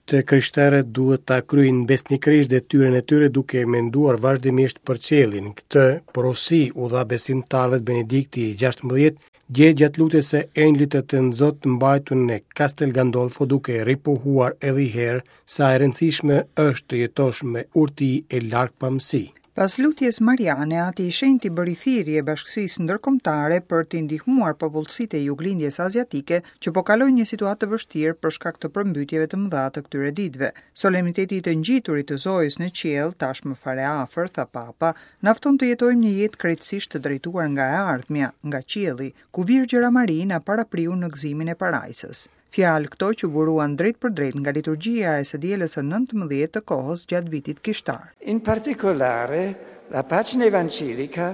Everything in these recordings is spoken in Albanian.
Të krishterët duhet ta kryejnë besnikërisht detyrën e tyre duke menduar vazhdimisht për qiellin. Këtë porosi u dha besimtarëve Benedikti i 16 dje gjatë lutjes së Engjëllit të Tënzot mbajtur në Castel Gandolfo duke ripohuar edhe një herë sa e rëndësishme është të jetosh me urti e largpamësi. Pas lutjes mariane, Ati i Shenjtë i bëri thirrje bashkësisë ndërkombëtare për t'i ndihmuar popullsitë e Juglindjes Aziatike që po kalojnë një situatë të vështirë për shkak të përmbytjeve të mëdha të këtyre ditëve. Solemniteti i të Ngjiturit të Zojës në qiell, tashmë fare afër, tha Papa, na fton të jetojmë një jetë krejtësisht të drejtuar nga e ardhmja, nga qielli, ku Virgjëra Mari na parapriu në gëzimin e parajsës. Fjalë këto që buruan drejtpërdrejt nga liturgjia e së dielës së 19 të kohës gjatë vitit kishtar. In particolare, la pagina evangelica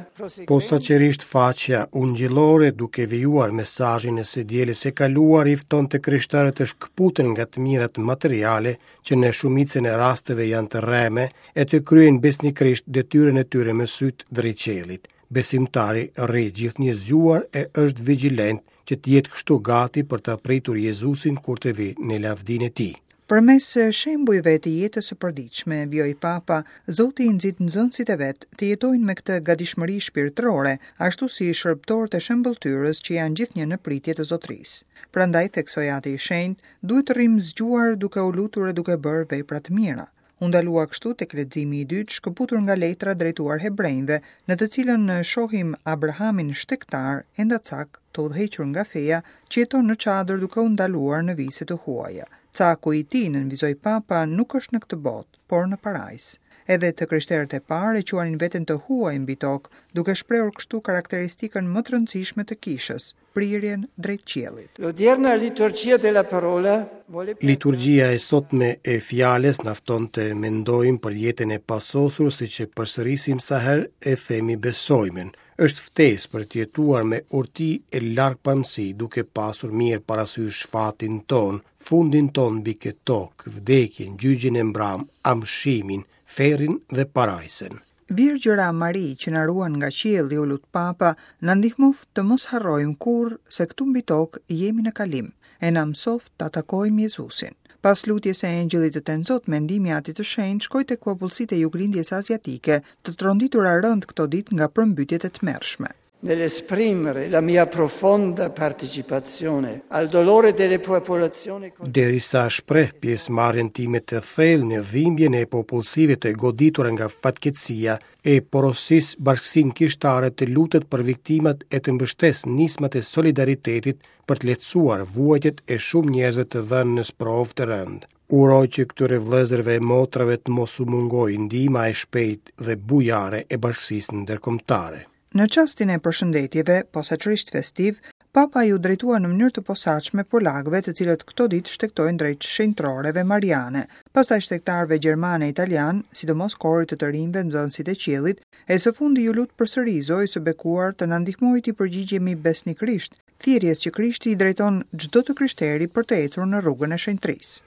Posaçërisht faqja ungjillore duke vijuar mesazhin e së dielës së kaluar i fton të krishterët të shkëputen nga të mirat materiale që në shumicën e rasteve janë të rreme e të kryejnë besnikërisht detyrën e tyre me sytë drejt qiellit. Besimtari rri gjithnjë zgjuar e është vigjilent që të jetë kështu gati për ta pritur Jezusin kur të vijë në lavdinë e tij. Përmes shembujve të jetës së përditshme, vijoi Papa, Zoti i nxit nxënësit e vet të jetojnë me këtë gatishmëri shpirtërore, ashtu si shërbëtorët e shëmbëlltyrës që janë gjithnjë në pritje të Zotërisë. Prandaj, theksoi Ati i Shenjtë, duhet të rrimë zgjuar duke u lutur e duke bërë vepra të mira. U ndalua kështu tek leximi i dytë shkëputur nga letra drejtuar hebrenjve, në të cilën shohim Abrahamin shtegtar, endacak, të udhëhequr nga feja, që jeton në çadër duke u ndaluar në vise të huaja. Caku i tij, nënvizoi Papa, nuk është në këtë botë, por në parajsë. Edhe të krishterët e parë e quanin veten të huaj mbi tokë, duke shprehur kështu karakteristikën më të rëndësishme të kishës, prirjen drejt qiellit. L'odierna liturgia della parola vuole Liturgjia e sotme e fjalës na fton të mendojmë për jetën e pasosur siç e përsërisim sa herë e themi besojmen. Është ftesë për të jetuar me urti e largpamësi duke pasur mirë parasysh fatin tonë, fundin tonë mbi këtë tokë, vdekjen, gjyqin e mbramë, amshimin, ferrin dhe parajsën. Virgjëra Mari që na ruan nga qielli, u lut Papa, na ndihmoftë të mos harrojmë kurrë se këtu mbi tokë jemi në kalim, e na mësoftë ta takojmë Jezusin. Pas lutjes së Engjëllit të Tenzot, mendimi i Atit të Shenjtë shkoi tek popullsitë e Juglindjes Aziatike, të tronditura rëndë këto ditë nga përmbytjet e tmerrshme. Nell'esprimere la mia profonda partecipazione al dolore delle popolazioni Derisa shpreh pjesëmarrjen time të thellë në dhimbjen e popullsive të goditura nga fatkeqësia, e porosis bashkësinë kishtare të lutet për viktimat e të mbështesë nismat e solidaritetit për të lehtësuar vuajtjet e shumë njerëzve të vënë në sprovë të rëndë. Uroj që këtyre vëllezërve e motrave të mos u mungojë ndihma e shpejtë dhe bujare e bashkësisë ndërkombëtare. Në çastin e përshëndetjeve, posaçërisht festiv, Papa iu drejtua në mënyrë të posaçme polakëve, të cilët këto ditë shtegtojnë drejt shenjtoreve mariane, pastaj shtegtarëve gjermanë e italianë, sidomos korit të të rinjve nxënësit e qiellit, e së fundi iu lut përsëri Zojës së Bekuar të na ndihmojë t'i përgjigjemi besnikërisht thirrjes që Krishti i drejton çdo të krishteri për të ecur në rrugën e shenjtërisë.